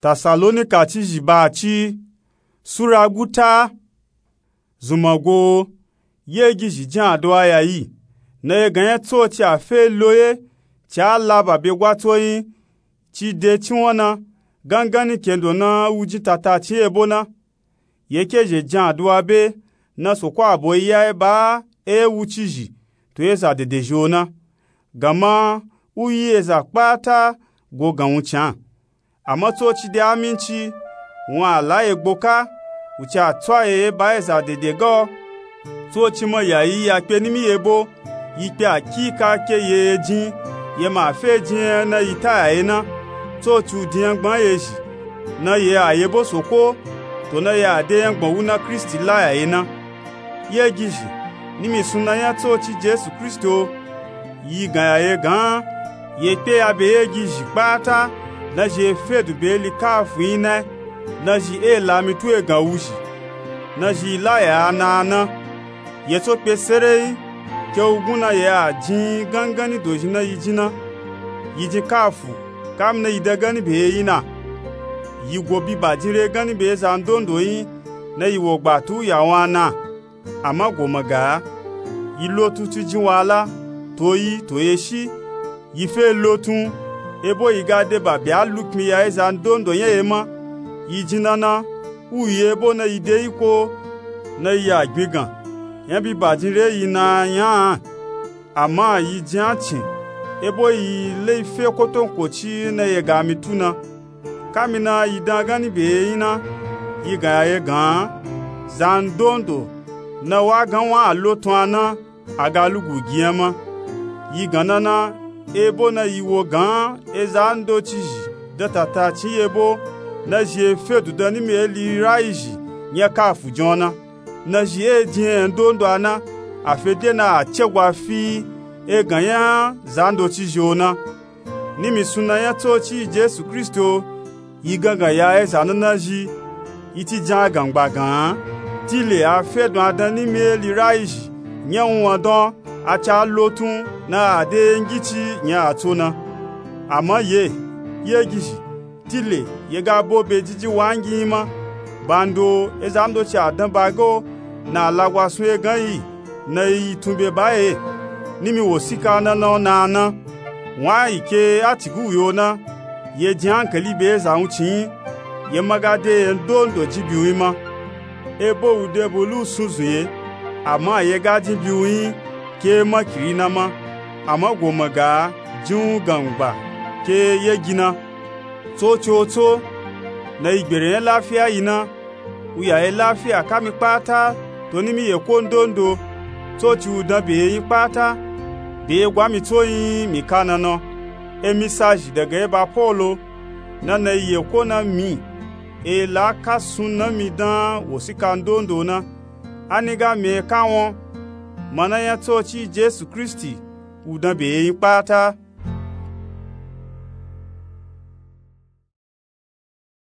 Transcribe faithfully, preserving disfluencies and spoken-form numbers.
Tasalonika cizhi ba ci, sura guta. Zunmango, yegizhi jin aduwa yayi, na ye gan nya tsoci a fe lo ye, ci a la ba be gwatso yin, ci de cinwan na, gangani kendo na wu jin tatacin ebo na. Ye kezhe jin aduwa be, na soko a bo yi ya e ba e wucizhi, to eza dedezhi o na. Ganma, u yi eza kpata go gan wuncin a. Ama tsoci de aminci, wun a la ye gboka, wuce a tso a ye ye ba eza dede ga o. Tsoci ma yayi ya kpe nimi ye bo, yi kpe akika ke ye ye jin, ye ma fe jin nya na yi ta ya ye na. Tsoci u din nyangban ye zhi, na ye a ye bo soko, to na ye a de nyangban wu na kristi la ya ye na. Yegizhi, nimi sunna nya tsoci jesu kristi o, yi gan ya ye gan, ye kpe ya be yegizhi kpata, na zhi ye fe du be likafu yin na, na zhi e la mi tu egan wuzhi, na zhi la ya a na a na. Ye tso kpe sereyi, ke wugun na ye a jin gangani dozhi na yi jin na. Yi jin kafu, kamina yi dangani be ye yin na. Yi go bi bajin re gani be eza ndondo yin, na yi wo gbatu ya wun a na. Ama go maga, yi lotun ci jin wala, to yi to ye shi, yi fe lotun, ebo yi ga de ba be a lukmi ya eza ndondo nya ye ma. Yi jin na na, u yi ebo na yi de iko, na yi a gbin gan, nya bi bajin re yi na a nya a. Ama yi jin a cin, ebo yi le yi fe kotonkoci na ye ga mi tu na. Kamina yi dangani be ye yin na, yi gan ya ye gan, zandondo na wa gan wun a lotun a na, a ga lugu gi nya ma. Yi gan na na, ebo na yi wo gan eza ndocizhi dan tatacin ye bo, na zhi ye fe du dan nimi eli rayizhi nya kafu jin o na. Na zhi e jin enya ndondo a na, a fe de na a cegwa fi egan nya zandocizhi o na. Nimi sunna nya tsoci jesu kristi o, yi gangan ya eza na na zhi, yi ci jin a gangba gan, tile a fe dun a dan nimi eli rayizhi nya wunwan dan, a ca lotun na a de ye ngici nya a tso na. Ama ye, yegizhi, tile ye ga bo be jiji wangi yin ma. Bando eza ndoci a dan ba ga o, na a lagwa sun ye gan yi, na yi yi tun be ba ye. Nimi wosika na na o na a na. Wun a yi ke a ciguwi o na, ye jin ankali be eza wuncin yin, ye ma ga de ye ndondo jin biwun yin ma. Ebo wu de bulu sunzun ye, ama ye ga jin biwun yin, ke makiri na ma. Ama go maga, jin wun gangba, ke yegi na. Tsoci o tso, na yi gbere nya lafiya yi na, u ya ye lafiya kami kpata, to nimi ye ko ndondo, tsoci u dan be ye yin kpata, be ye gwa mi tso yin mi ka na na. Emi sa zhi daga ye ba polo, na na yi ye ko na mi, e la ka sunna mi dan wosika ndondo na. A ni ga mi e ka won, mana nya tsoci jesu kristi, u dan be ye yin kpata.